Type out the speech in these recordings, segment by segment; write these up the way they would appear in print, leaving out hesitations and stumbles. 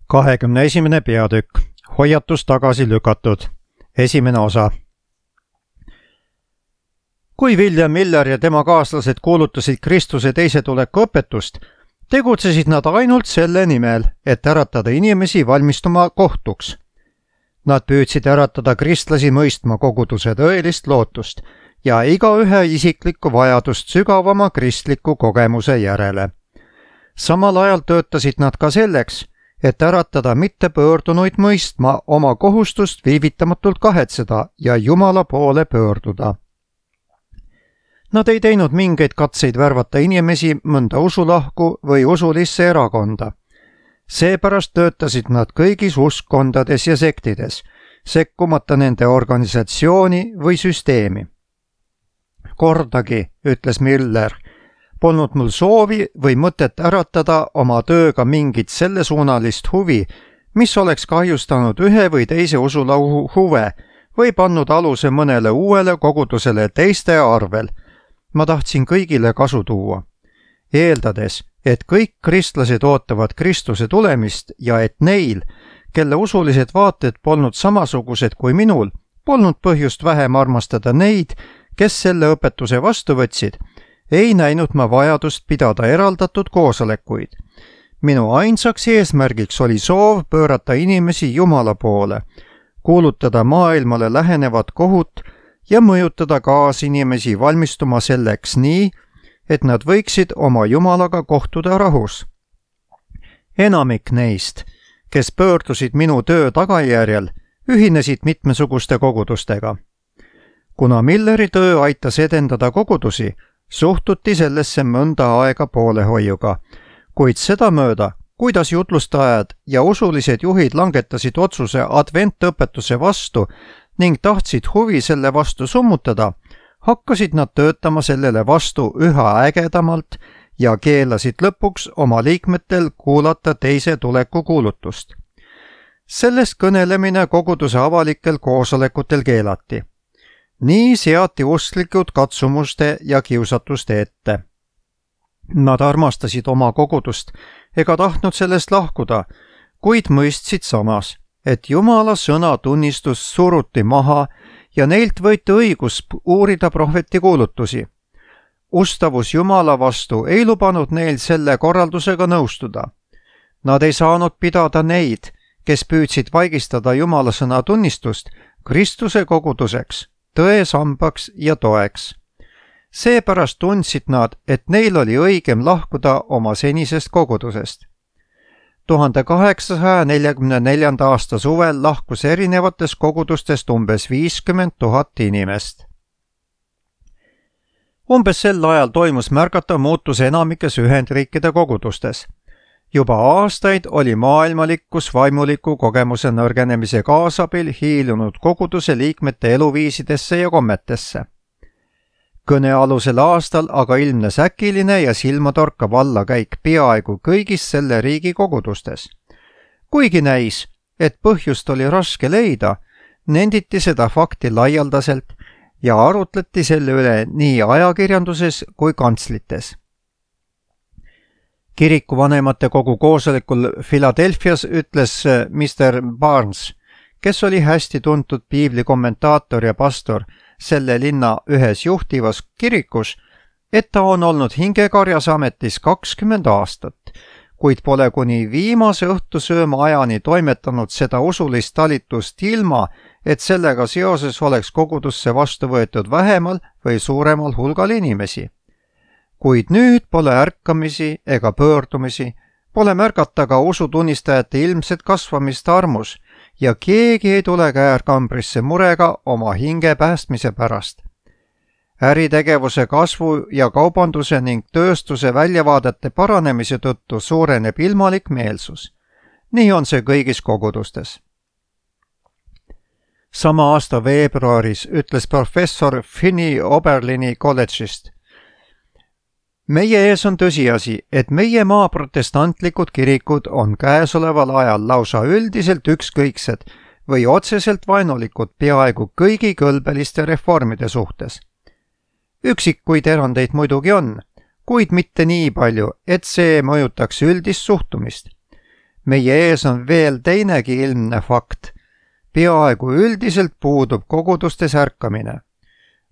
21. peatükk. Hoiatus tagasi lükatud. Esimene osa. Kui William Miller ja tema kaaslased kuulutasid Kristuse teise tuleku õpetust, tegutsesid nad ainult selle nimel, et äratada inimesi valmistuma kohtuks. Nad püüdsid äratada kristlasi mõistma koguduse tõelist lootust ja igaühe isiklikku vajadust sügavama kristliku kogemuse järele. Samal ajal töötasid nad ka selleks, et äratada mittepöördunuid mõistma oma kohustust viivitamatult kahetseda ja Jumala poole pöörduda. Nad ei teinud mingeid katseid värvata inimesi mõnda usulahku või usulisse erakonda. Seepärast töötasid nad kõigis uskkondades ja sektides, sekkumata nende organisatsiooni või süsteemi. Kordagi, ütles Miller, polnud mul soovi või mõtet äratada oma tööga mingit sellesuunalist huvi, mis oleks kahjustanud ühe või teise usulahu huve või pannud aluse mõnele uuele kogudusele teiste arvel. Ma tahtsin kõigile kasu tuua, eeldades, et kõik kristlased ootavad Kristuse tulemist ja et neil, kelle usulised vaated polnud samasugused kui minul, polnud põhjust vähem armastada neid, kes selle õpetuse vastu võtsid, ei näinud ma vajadust pidada eraldatud koosolekuid. Minu ainsaks eesmärgiks oli soov pöörata inimesi Jumala poole, kuulutada maailmale lähenevat kohut ja mõjutada kaasinimesi valmistuma selleks nii, et nad võiksid oma Jumalaga kohtuda rahus. Enamik neist, kes pöördusid minu töö tagajärjel, ühinesid mitmesuguste kogudustega. Kuna Milleri töö aitas edendada kogudusi, suhtuti sellesse mõnda aega poolehoiuga, kuid sedamööda, kuidas jutlustajad ja usulised juhid langetasid otsuse adventõpetuse vastu ning tahtsid huvi selle vastu summutada, hakkasid nad töötama sellele vastu üha ägedamalt ja keelasid lõpuks oma liikmetel kuulata teise tuleku kuulutust. Sellest kõnelemine koguduse avalikel koosolekutel keelati. Nii seati usklikud katsumuste ja kiusatuste ette. Nad armastasid oma kogudust ega tahtnud sellest lahkuda, kuid mõistsid samas, et Jumala sõna tunnistus suruti maha ja neilt võeti õigus uurida prohveti kuulutusi. Ustavus Jumala vastu ei lubanud neil selle korraldusega nõustuda. Nad ei saanud pidada neid, kes püüdsid vaigistada Jumala sõna tunnistust, Kristuse koguduseks, tõe sambaks ja toeks. Seepärast tundsid nad, et neil oli õigem lahkuda oma senisest kogudusest. 1844. aasta suvel lahkus erinevatest kogudustest umbes 50 000 inimest. Umbes sel ajal toimus märgatav muutus enamikes Ühendriikide kogudustes. Juba aastaid oli maailmalikkus vaimuliku kogemuse nõrgenemise kaasabil hiilunud koguduse liikmete eluviisidesse ja kommetesse. Kõnealusel aastal aga ilmnes äkiline ja silmatorkav allakäik peaaegu kõigis selle riigi kogudustes. Kuigi näis, et põhjust oli raske leida, nenditi seda fakti laialdaselt ja arutleti selle üle nii ajakirjanduses kui kantslites. Kirikuvanemate kogu koosolekul Philadelphias ütles Mr. Barnes, kes oli hästi tuntud piibli kommentaator ja pastor selle linna ühes juhtivas kirikus, et ta on olnud hingekarjas ametis 20 aastat, kuid pole kuni viimase õhtusööma ajani toimetanud seda usulist talitust ilma, et sellega seoses oleks kogudusse vastu võetud vähemal või suuremal hulgal inimesi. Kuid nüüd pole ärkamisi ega pöördumisi, pole märgata ka usutunnistajate ilmset kasvamist armus ja keegi ei tule käärkambrisse murega oma hinge päästmise pärast. Äritegevuse kasvu ja kaubanduse ning tööstuse väljavaadete paranemise tõttu suureneb ilmalik meelsus. Nii on see kõigis kogudustes. Sama aasta veebruaris ütles professor Finney Oberlini kolledžist: Meie ees on tõsiasi, et meie maa protestantlikud kirikud on käesoleval ajal lausa üldiselt ükskõiksed või otseselt vaenulikud peaaegu kõigi kõlbeliste reformide suhtes. Üksikuid erandeid muidugi on, kuid mitte nii palju, et see mõjutaks üldist suhtumist. meie ees on veel teinegi ilmne fakt. Peaaegu üldiselt puudub kogudustes ärkamine.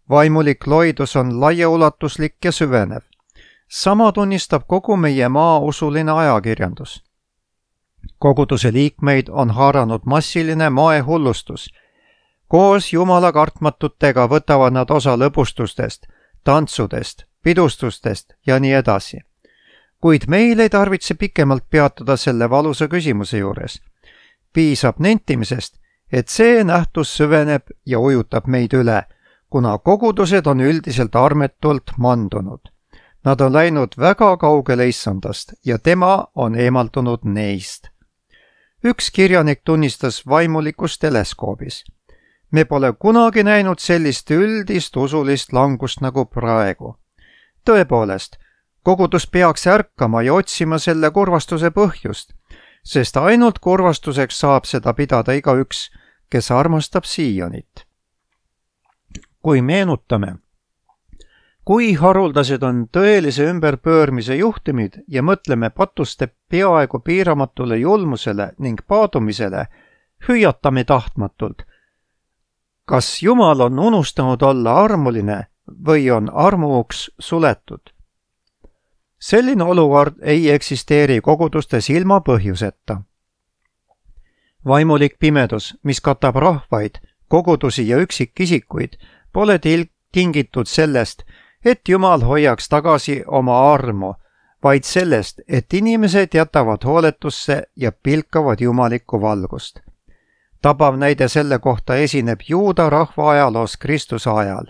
Vaimulik loidus on laiaulatuslik ja süvenev. Sama tunnistab kogu meie maa usuline ajakirjandus. Koguduse liikmeid on haaranud massiline moehullustus. Koos jumala kartmatutega võtavad nad osa lõbustustest, tantsudest, pidustustest ja nii edasi. Kuid meil ei tarvitse pikemalt peatuda selle valusa küsimuse juures. Piisab nentimisest, et see nähtus süveneb ja ujutab meid üle, kuna kogudused on üldiselt armetult mandunud. Nad on läinud väga kaugele issandast ja tema on eemaldunud neist. Üks kirjanik tunnistas vaimulikus teleskoobis. Me pole kunagi näinud sellist üldist usulist langust nagu praegu. Tõepoolest, kogudus peaks ärkama ja otsima selle kurvastuse põhjust, sest ainult kurvastuseks saab seda pidada igaüks, kes armastab Siionit. Kui meenutame, kui haruldased on tõelise ümberpöörmise juhtumid ja mõtleme patuste peaaegu piiramatule julmusele ning paadumisele, hüüatame tahtmatult. Kas Jumal on unustanud olla armuline või on armuuks suletud? Selline olukord ei eksisteeri kogudustes ilma põhjuseta. Vaimulik pimedus, mis katab rahvaid, kogudusi ja üksikisikuid, pole tingitud sellest, et Jumal hoiaks tagasi oma armu, vaid sellest, et inimesed jätavad hooletusse ja pilkavad jumalikku valgust. Tabav näide selle kohta esineb juuda rahva ajaloos Kristuse ajal.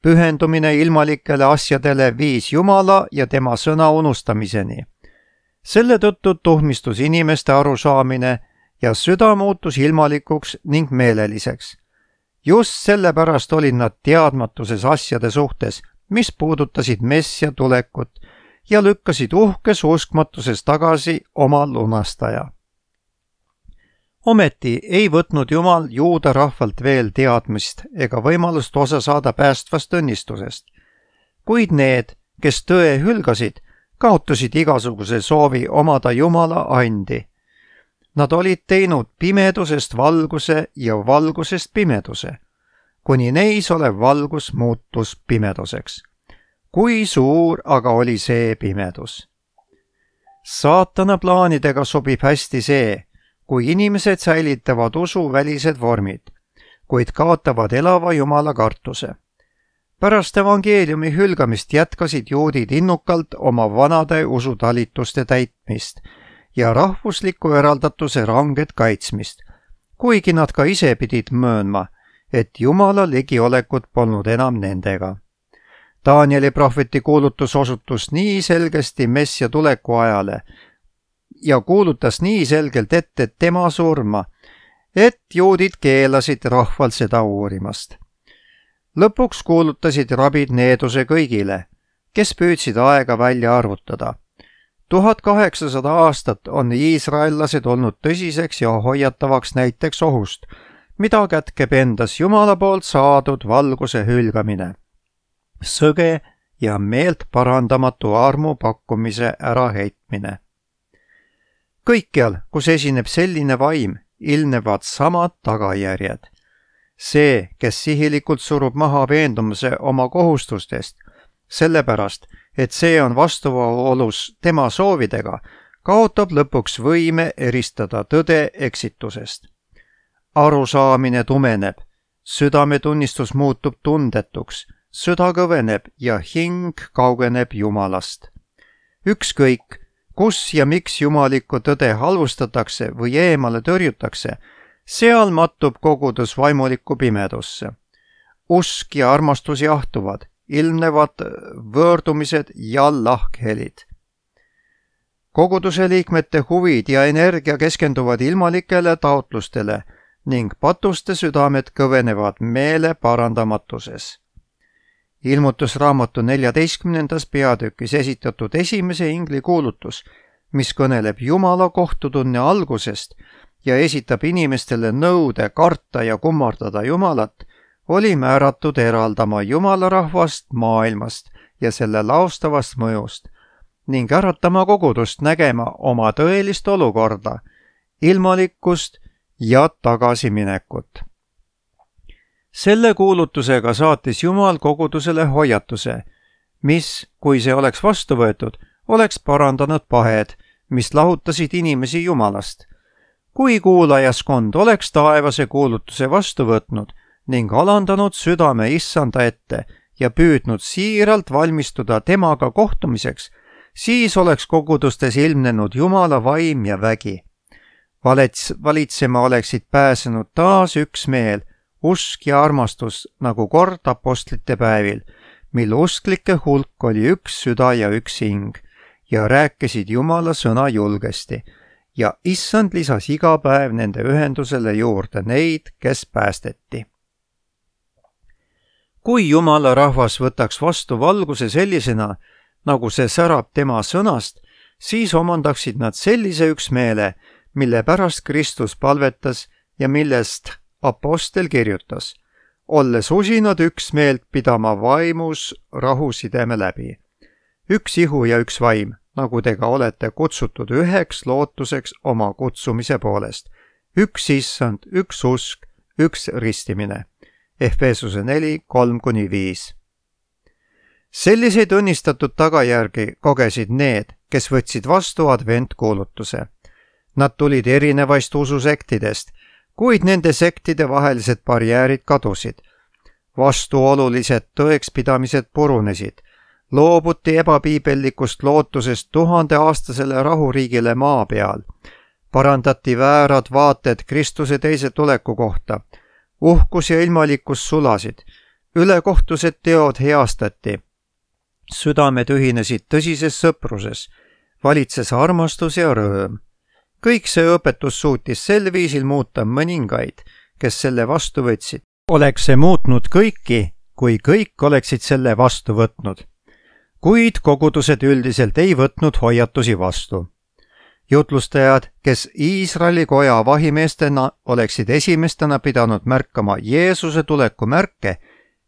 Pühendumine ilmalikele asjadele viis Jumala ja tema sõna unustamiseni. Selle tõttu tuhmistus inimeste arusaamine ja süda muutus ilmalikuks ning meeleliseks. Just sellepärast olid nad teadmatuses asjade suhtes, mis puudutasid Messia tulekut ja lükkasid uhkes uskmatuses tagasi oma lunastaja. Ometi ei võtnud Jumal juuda rahvalt veel teadmist ega võimalust osa saada päästvast õnnistusest. Kuid need, kes tõe hülgasid, kaotasid igasuguse soovi omada Jumala andi. Nad olid teinud pimedusest valguse ja valgusest pimeduse, kuni neis olev valgus muutus pimeduseks. Kui suur aga oli see pimedus? Saatana plaanidega sobib hästi see, kui inimesed säilitavad usuvälised vormid, kuid kaotavad elava Jumala kartuse. Pärast evangeeliumi hülgamist jätkasid juudid innukalt oma vanade usutalituste täitmist ja rahvusliku eraldatuse ranget kaitsmist, kuigi nad ka ise pidid möönma, et Jumala ligiolekut polnud enam nendega. Danieli prohveti kuulutus osutus nii selgesti Messia tuleku ajale ja kuulutas nii selgelt ette tema surma, et juudid keelasid rahval seda uurimast. Lõpuks kuulutasid rabid needuse kõigile, kes püüdsid aega välja arvutada. 1800 aastat on iisraellased olnud tõsiseks ja hoiatavaks näiteks ohust, mida kätkeb endas Jumala poolt saadud valguse hülgamine. Sõge ja meelt parandamatu armu pakkumise äraheitmine. Kõikjal, kus esineb selline vaim, ilmnevad samad tagajärjed. See, kes sihilikult surub maha veendumuse oma kohustustest, sellepärast, et see on vastuolus tema soovidega, kaotab lõpuks võime eristada tõde eksitusest. Arusaamine tumeneb, südametunnistus muutub tundetuks, süda kõveneb ja hing kaugeneb Jumalast. Ükskõik, kus ja miks jumalikku tõde halvustatakse või eemale tõrjutakse, seal mattub kogudus vaimulikku pimedusse. Usk ja armastus jahtuvad, ilmnevad võõrdumised ja lahkhelid. Koguduse liikmete huvid ja energia keskenduvad ilmalikele taotlustele ning patuste südamed kõvenevad meele parandamatuses. Ilmutusraamatu 14. peatükis esitatud esimese ingli kuulutus, mis kõneleb Jumala kohtutunne algusest ja esitab inimestele nõude karta ja kummardada Jumalat, oli määratud eraldama Jumala rahvast maailmast ja selle laustavast mõjust, ning äratama kogudust nägema oma tõelist olukorda, ilmalikkust ja tagasiminekut. Selle kuulutusega saatis Jumal kogudusele hoiatuse, mis, kui see oleks vastu võetud, oleks parandanud pahed, mis lahutasid inimesi Jumalast. Kui kuulajaskond oleks taevase kuulutuse vastu võtnud ning alandanud südame Issanda ette ja püüdnud siiralt valmistuda temaga kohtumiseks, siis oleks kogudustes ilmnenud Jumala vaim ja vägi. Valitsema oleksid pääsenud taas üksmeel, usk ja armastus nagu kord apostlite päevil, mil usklike hulk oli üks süda ja üks hing ja rääkisid Jumala sõna julgesti ja Issand lisas iga päev nende ühendusele juurde neid, kes päästeti. Kui Jumala rahvas võtaks vastu valguse sellisena, nagu see särab tema sõnast, siis omandaksid nad sellise üksmeele, mille pärast Kristus palvetas ja millest apostel kirjutas, olles usinad üksmeelt pidama vaimus rahusideme läbi. Üks ihu ja üks vaim, nagu te ka olete kutsutud üheks lootuseks oma kutsumise poolest. Üks Issand, üks usk, üks ristimine. Efesuse 4:3-5. Selliseid õnnistatud tagajärgi kogesid need, kes võtsid vastu adventkuulutuse. Nad tulid erinevaist ususektidest, kuid nende sektide vahelised barjäärid kadusid. Vastuolulised tõekspidamised purunesid. Loobuti ebapiibellikust lootusest 1000-aastasele rahuriigile maa peal. Parandati väärad vaated Kristuse teise tuleku kohta. Uhkus ja ilmalikkus sulasid. Ülekohtused teod heastati. Südamed ühinesid tõsises sõpruses. Valitses armastus ja rõõm. Kõik see õpetus suutis sel viisil muuta mõningaid, kes selle vastu võtsid. Oleks see muutnud kõiki, kui kõik oleksid selle vastu võtnud. Kuid kogudused üldiselt ei võtnud hoiatusi vastu. Jutlustajad, kes Iisraeli koja vahimeestena oleksid esimestena pidanud märkama Jeesuse tuleku märke,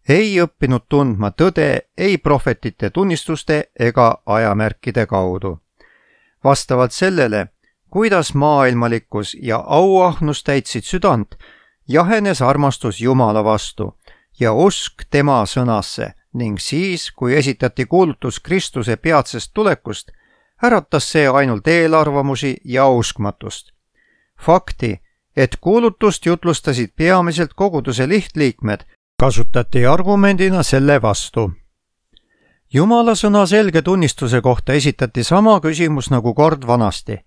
ei õppinud tundma tõde ei prohvetite tunnistuste ega ajamärkide kaudu. Vastavalt sellele, kuidas maailmalikkus ja auahnus täitsid südant, jahenes armastus Jumala vastu ja usk tema sõnasse ning siis, kui esitati kuulutus Kristuse peatsest tulekust, äratas see ainult eelarvamusi ja uskmatust. Fakti, et kuulutust jutlustasid peamiselt koguduse lihtliikmed, kasutati argumendina selle vastu. Jumala sõna selge tunnistuse kohta esitati sama küsimus nagu kord vanasti.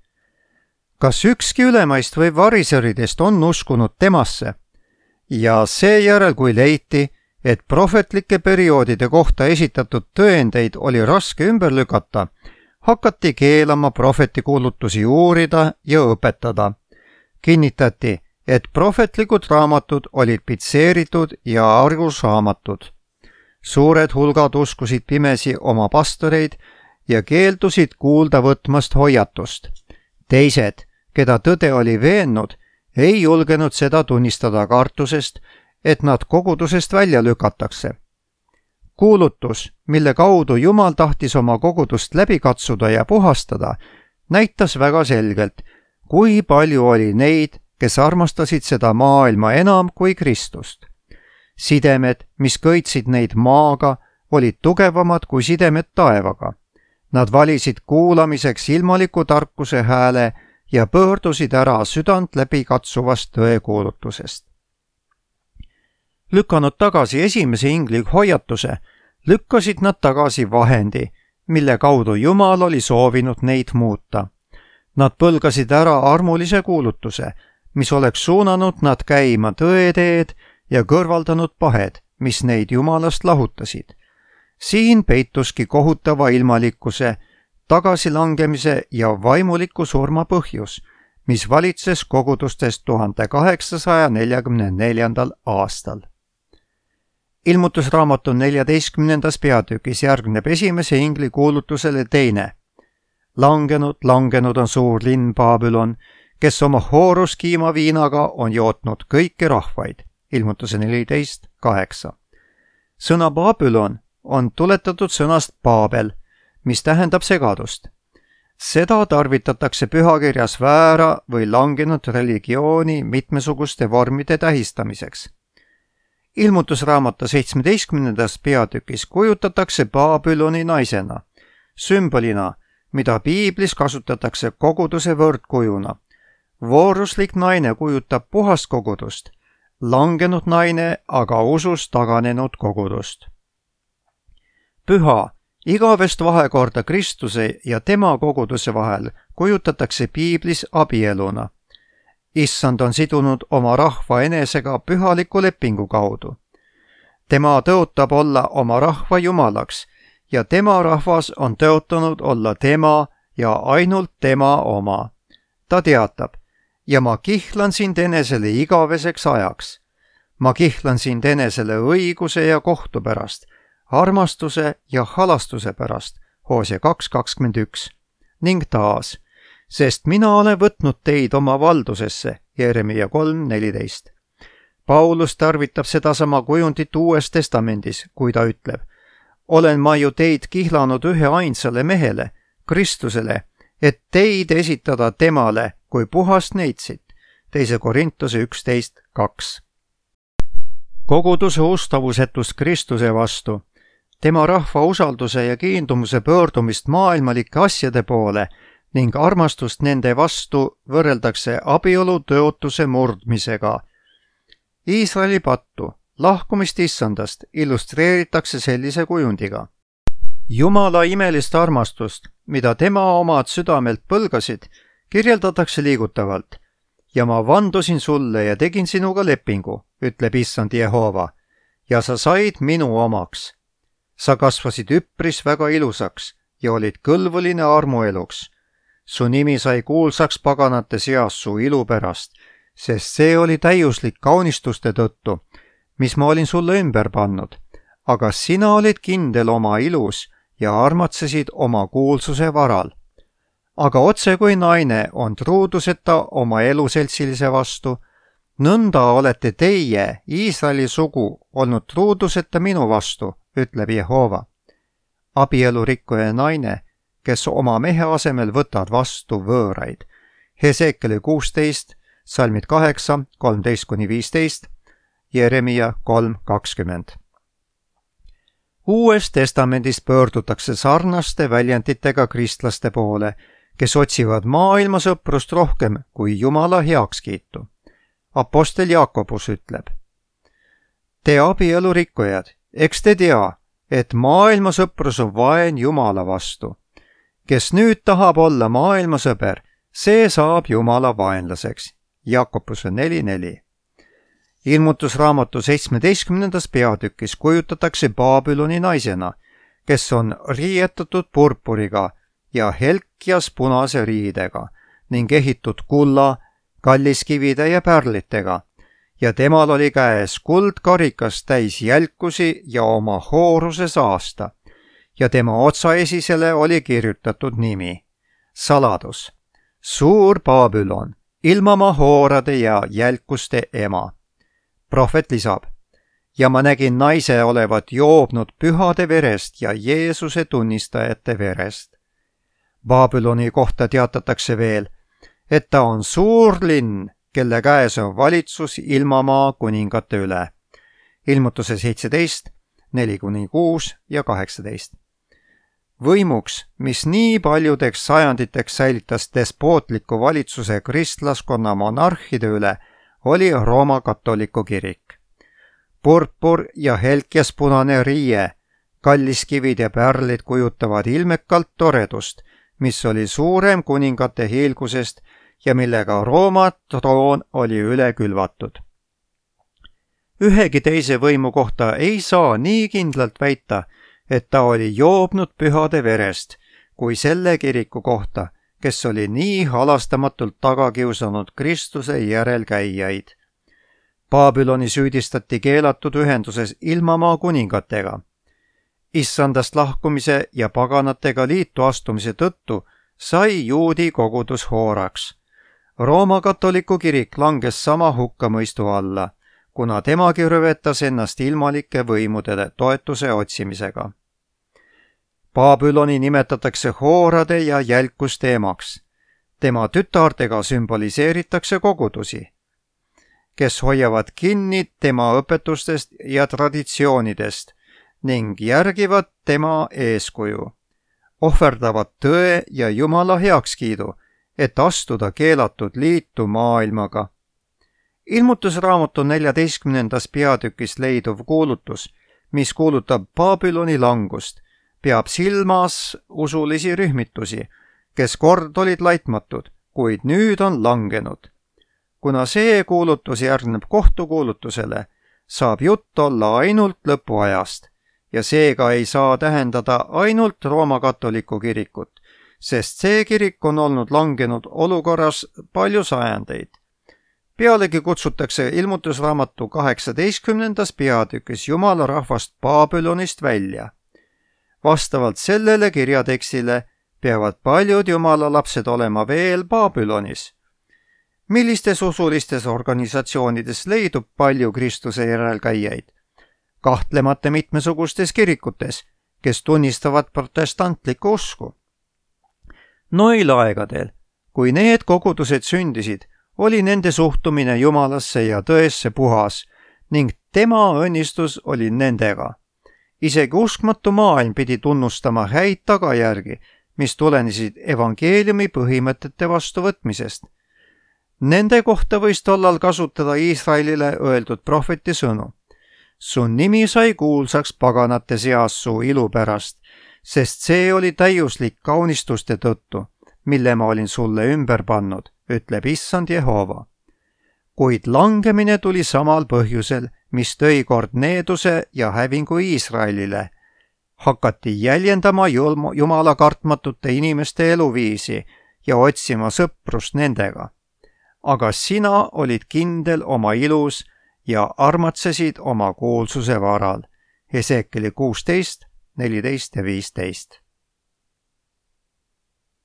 Kas ükski ülemaist või variseridest on uskunud temasse? Ja seejärel, kui leiti, et prohvetlike perioodide kohta esitatud tõendeid oli raske ümber lükata, hakati keelama prohvetikuulutusi uurida ja õpetada. Kinnitati, et prohvetlikud raamatud olid pitseeritud ja arusaamatud. Suured hulgad uskusid pimesi oma pastoreid ja keeldusid kuulda võtmast hoiatust. Teised, keda tõde oli veennud, ei julgenud seda tunnistada kartusest, et nad kogudusest välja lükatakse. Kuulutus, mille kaudu Jumal tahtis oma kogudust läbi katsuda ja puhastada, näitas väga selgelt, kui palju oli neid, kes armastasid seda maailma enam kui Kristust. Sidemed, mis köitsid neid maaga, olid tugevamad kui sidemed taevaga. Nad valisid kuulamiseks ilmaliku tarkuse hääle ja pöördusid ära südant läbi katsuvast tõekuulutusest. Lükanud tagasi esimese ingli hoiatuse, lükkasid nad tagasi vahendi, mille kaudu Jumal oli soovinud neid muuta. Nad põlgasid ära armulise kuulutuse, mis oleks suunanud nad käima tõeteed ja kõrvaldanud pahed, mis neid Jumalast lahutasid. Siin peituski kohutava ilmalikkuse, tagasilangemise ja vaimuliku surma põhjus, mis valitses kogudustest 1844. aastal. Ilmutusraamatu 14. peatükis järgneb esimese ingli kuulutusele teine. Langenud on suur linn Babylon, kes oma hooruskiima viinaga on jootnud kõiki rahvaid. Ilmutuse 14:8. Sõna Babylon on tuletatud sõnast Paabel, mis tähendab segadust. Seda tarvitatakse pühakirjas väära või langenud religiooni mitmesuguste vormide tähistamiseks. Ilmutusraamatu 17. peatükis kujutatakse Babüloni naisena, sümbolina, mida piiblis kasutatakse koguduse võrdkujuna. Vooruslik naine kujutab puhast kogudust, langenud naine aga usust taganenud kogudust. Püha, igavest vahekorda Kristuse ja tema koguduse vahel kujutatakse piiblis abieluna. Issand on sidunud oma rahva enesega pühaliku lepingu kaudu. Tema tõotab olla oma rahva jumalaks ja tema rahvas on tõotanud olla tema ja ainult tema oma. Ta teatab, ja ma kihlan sind enesele igaveseks ajaks. Ma kihlan sind enesele õiguse ja kohtu pärast, armastuse ja halastuse pärast, Hoosea 2:21, ning taas, sest mina olen võtnud teid oma valdusesse, Jeremia 3:14. Paulus tarvitab sedasama kujundit Uues Testamendis, kui ta ütleb, olen ma ju teid kihlanud ühe ainsale mehele, Kristusele, et teid esitada temale kui puhast neitsit, 2 Korintuse 11:2. Koguduse ustavusetust Kristuse vastu, tema rahva usalduse ja kiindumuse pöördumist maailmalike asjade poole ning armastust nende vastu võrreldakse abielu tõotuse murdmisega. Iisraeli pattu, lahkumist issandast, illustreeritakse sellise kujundiga. Jumala imelist armastust, mida tema omad südamelt põlgasid, kirjeldatakse liigutavalt. Ja ma vandusin sulle ja tegin sinuga lepingu, ütleb issand Jehova, ja sa said minu omaks. Sa kasvasid üpris väga ilusaks ja olid kõlvuline armueluks. Su nimi sai kuulsaks paganate seas su ilu pärast, sest see oli täiuslik kaunistuste tõttu, mis ma olin sulle ümber pannud, aga sina olid kindel oma ilus ja armatsesid oma kuulsuse varal. Aga otse kui naine on truuduseta oma eluseltsilise vastu, nõnda olete teie, Iisraeli sugu, olnud truuduseta minu vastu, ütleb Jehova. Abielurikkuja naine, kes oma mehe asemel võtad vastu võõraid. Hesekieli 16, salmid 8, 13-15, Jeremia 3:20. Uues testamendis pöördutakse sarnaste väljenditega kristlaste poole, kes otsivad maailma sõprust rohkem kui Jumala heakskiitu. Apostel Jaakobus ütleb, te abielurikkujad, eks te tea, et maailma sõprus on vaen Jumala vastu. Kes nüüd tahab olla maailma sõber, see saab Jumala vaenlaseks. Jaakobuse 4:4. Ilmutusraamatu 17. peatükis kujutatakse Babüloni naisena, kes on riietatud purpuriga ja helkjas punase riidega ning ehitud kulla, kalliskivide ja pärlitega, ja temal oli käes kuldkarikas täis jälkusi ja oma hooruse saasta, ja tema otsaesisele oli kirjutatud nimi, saladus, suur Babülon, ilmamaa hoorade ja jälkuste ema. Prohvet lisab, ja ma nägin naise olevat joobnud pühade verest ja Jeesuse tunnistajate verest. Babüloni kohta teatatakse veel, et ta on suur linn, kelle käes on valitsus ilmamaa kuningate üle. Ilmutuse 17, 4-6 ja 18. Võimuks, mis nii paljudeks sajanditeks säilitas despootliku valitsuse kristlaskonna monarhide üle, oli Rooma katoliku kirik. Purpur ja helkjas punane riie, kalliskivid ja pärlid kujutavad ilmekalt toredust, mis oli suurem kuningate hiilgusest ja millega Rooma troon oli üle külvatud. Ühegi teise võimu kohta ei saa nii kindlalt väita, et ta oli joobnud pühade verest, kui selle kiriku kohta, kes oli nii halastamatult taga kiusanud Kristuse järelkäijaid. Babüloni süüdistati keelatud ühenduses ilmamaa kuningatega. Issandast lahkumise ja paganatega liitu astumise tõttu sai juudi kogudus hooraks. Rooma katoliku kirik langes sama hukkamõistu alla, kuna temagi rüvetas ennast ilmalike võimude toetuse otsimisega. Babüloni nimetatakse hoorade ja jälkuste emaks. Tema tütardega sümboliseeritakse kogudusi, kes hoiavad kinni tema õpetustest ja traditsioonidest ning järgivad tema eeskuju, ohverdavad tõe ja Jumala heakskiidu, et astuda keelatud liitu maailmaga. Ilmutusraamatu 14. peatükis leiduv kuulutus, mis kuulutab Babüloni langust, peab silmas usulisi rühmitusi, kes kord olid laitmatud, kuid nüüd on langenud. Kuna see kuulutus järgneb kohtukuulutusele, saab jutt olla ainult lõpuajast ja seega ei saa tähendada ainult Rooma katoliku kirikut, sest see kirik on olnud langenud olukorras palju sajandeid. Pealegi kutsutakse ilmutusraamatu 18. peatükis Jumala rahvast Babülonist välja. Vastavalt sellele kirjatekstile peavad paljud Jumala lapsed olema veel Babülonis. Millistes usulistes organisatsioonides leidub palju Kristuse järelkäijaid? Kahtlemata mitmesugustes kirikutes, kes tunnistavad protestantlikku usku. Noil aegadel, kui need kogudused sündisid, oli nende suhtumine Jumalasse ja tõesse puhas ning tema õnnistus oli nendega. Isegi uskmatu maailm pidi tunnustama häid tagajärgi, mis tulenesid evangeeliumi põhimõtete vastuvõtmisest. Nende kohta võis tollal kasutada Iisraelile öeldud prohveti sõnu. Su nimi sai kuulsaks paganate seas su ilu pärast, sest see oli täiuslik kaunistuste tõttu, mille ma olin sulle ümber pannud, ütleb Issand Jehova. Kuid langemine tuli samal põhjusel, mis tõi kord needuse ja hävingu Iisraelile. Hakati jäljendama Jumala kartmatute inimeste eluviisi ja otsima sõprust nendega. Aga sina olid kindel oma ilus ja armatsesid oma kuulsuse varal. Hesekieli 16, 14 ja 15.